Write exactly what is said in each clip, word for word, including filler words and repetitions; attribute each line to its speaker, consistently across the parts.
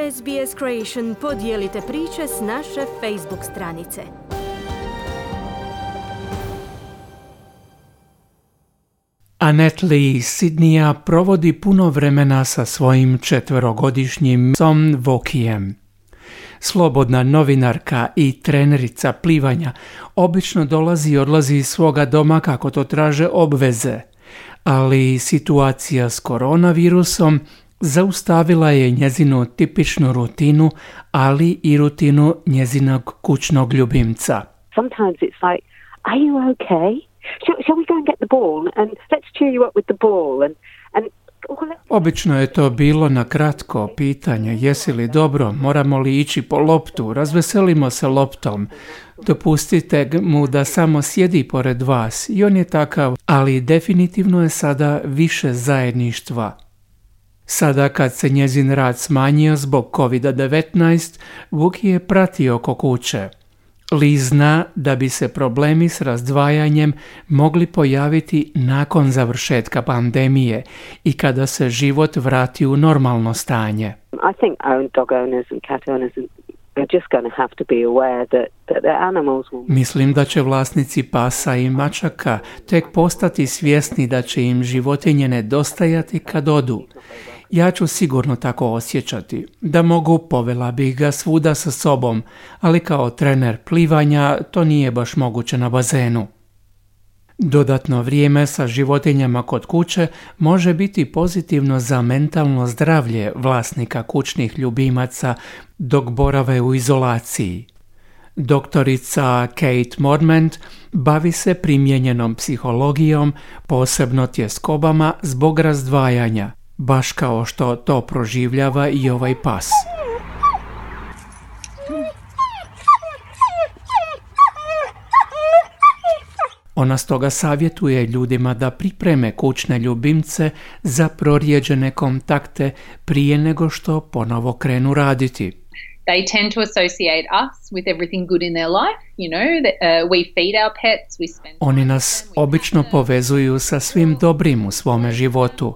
Speaker 1: S B S Creation podijelite priče s naše Facebook stranice.
Speaker 2: Annette Lee iz Sidneya provodi puno vremena sa svojim četverogodišnjim psom Vokijem. Slobodna novinarka i trenerica plivanja obično dolazi i odlazi iz svoga doma kako to traže obveze, ali situacija s koronavirusom zaustavila je njezinu tipičnu rutinu, ali i rutinu njezinog kućnog ljubimca.
Speaker 3: Sometimes it's like, are you okay? Shall, shall we go and get the ball and let's cheer you up with the ball and and
Speaker 2: Obično je to bilo na kratko pitanje, jesi li dobro, moramo li ići po loptu, razveselimo se loptom, dopustite mu da samo sjedi pored vas i on je takav, ali definitivno je sada više zajedništva. Sada kad se njezin rad smanjio zbog kovid devetnaest, Vuki je pratio oko kuće. Lee zna da bi se problemi s razdvajanjem mogli pojaviti nakon završetka pandemije i kada se život vrati u normalno stanje.
Speaker 3: I think dog owners and cat owners are just going to have to be aware that that their animals will...
Speaker 2: Mislim da će vlasnici pasa i mačaka tek postati svjesni da će im životinje nedostajati kad odu. Ja ću sigurno tako osjećati. Da mogu, povela bih ga svuda sa sobom, ali kao trener plivanja to nije baš moguće na bazenu. Dodatno vrijeme sa životinjama kod kuće može biti pozitivno za mentalno zdravlje vlasnika kućnih ljubimaca dok borave u izolaciji. Doktorica Kate Mormont bavi se primijenjenom psihologijom, posebno tjeskobama zbog razdvajanja, baš kao što to proživljava i ovaj pas. Ona stoga savjetuje ljudima da pripreme kućne ljubimce za prorijeđene kontakte prije nego što ponovo krenu raditi.
Speaker 4: They tend to associate us with everything good in their life, you know, that, uh, we feed our pets, we spend...
Speaker 2: Oni nas obično povezuju sa svim dobrim u svome životu.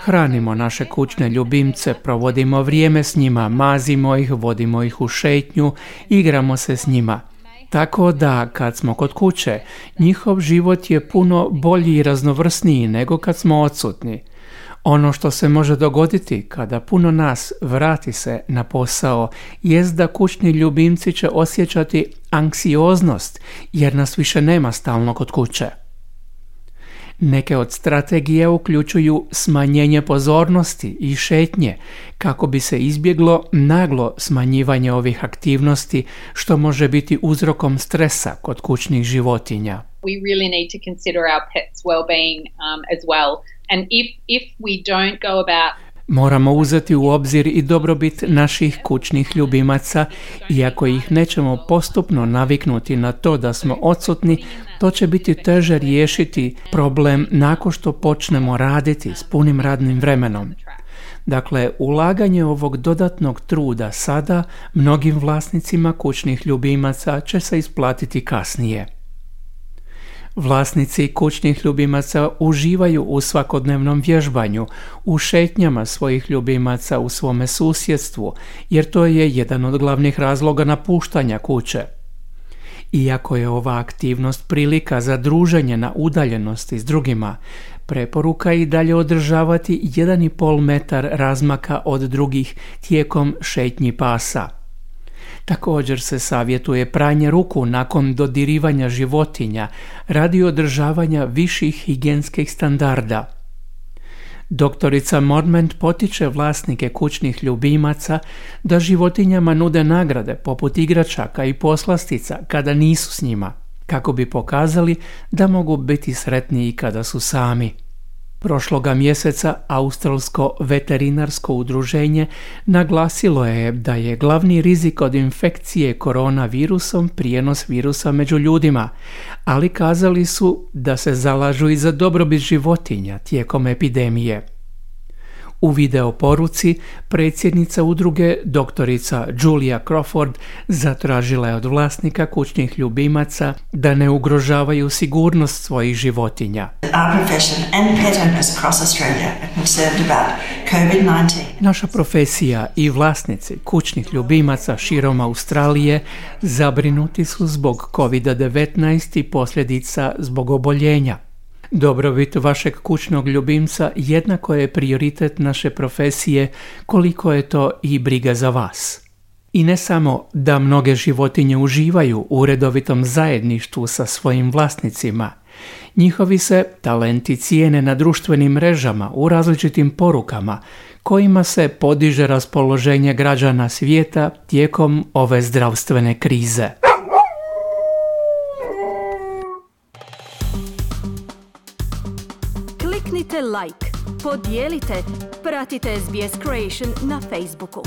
Speaker 2: Hranimo naše kućne ljubimce, provodimo vrijeme s njima, mazimo ih, vodimo ih u šetnju, igramo se s njima. Tako da, kad smo kod kuće, njihov život je puno bolji i raznovrsniji nego kad smo odsutni. Ono što se može dogoditi kada puno nas vrati se na posao jest da kućni ljubimci će osjećati anksioznost jer nas više nema stalno kod kuće. Neke od strategije uključuju smanjenje pozornosti i šetnje kako bi se izbjeglo naglo smanjivanje ovih aktivnosti što može biti uzrokom stresa kod kućnih životinja.
Speaker 4: We really need to consider our pets' well-being um, as well. And if if we don't go about
Speaker 2: Moramo uzeti u obzir i dobrobit naših kućnih ljubimaca i ako ih nećemo postupno naviknuti na to da smo odsutni, to će biti teže riješiti problem nakon što počnemo raditi s punim radnim vremenom. Dakle, ulaganje ovog dodatnog truda sada mnogim vlasnicima kućnih ljubimaca će se isplatiti kasnije. Vlasnici kućnih ljubimaca uživaju u svakodnevnom vježbanju, u šetnjama svojih ljubimaca u svome susjedstvu, jer to je jedan od glavnih razloga napuštanja kuće. Iako je ova aktivnost prilika za druženje na udaljenosti s drugima, preporuka je i dalje održavati jedan i pol metar razmaka od drugih tijekom šetnji pasa. Također se savjetuje pranje ruku nakon dodirivanja životinja radi održavanja viših higijenskih standarda. Doktorica Mormont potiče vlasnike kućnih ljubimaca da životinjama nude nagrade poput igračaka i poslastica kada nisu s njima, kako bi pokazali da mogu biti sretniji kada su sami. Prošloga mjeseca Australsko veterinarsko udruženje naglasilo je da je glavni rizik od infekcije koronavirusom prijenos virusa među ljudima, ali kazali su da se zalažu i za dobrobit životinja tijekom epidemije. U video poruci predsjednica udruge doktorica Julia Crawford zatražila je od vlasnika kućnih ljubimaca da ne ugrožavaju sigurnost svojih životinja.
Speaker 5: Our profession and pet owners across Australia are concerned about covid nineteen.
Speaker 2: Naša profesija i vlasnici kućnih ljubimaca širom Australije zabrinuti su zbog kovid devetnaest i posljedica zbog oboljenja. Dobrobit vašeg kućnog ljubimca jednako je prioritet naše profesije koliko je to i briga za vas. I ne samo da mnoge životinje uživaju u redovitom zajedništvu sa svojim vlasnicima, njihovi se talenti cijene na društvenim mrežama u različitim porukama kojima se podiže raspoloženje građana svijeta tijekom ove zdravstvene krize.
Speaker 1: Kliknite like, podijelite, pratite S B S Creation na Facebooku.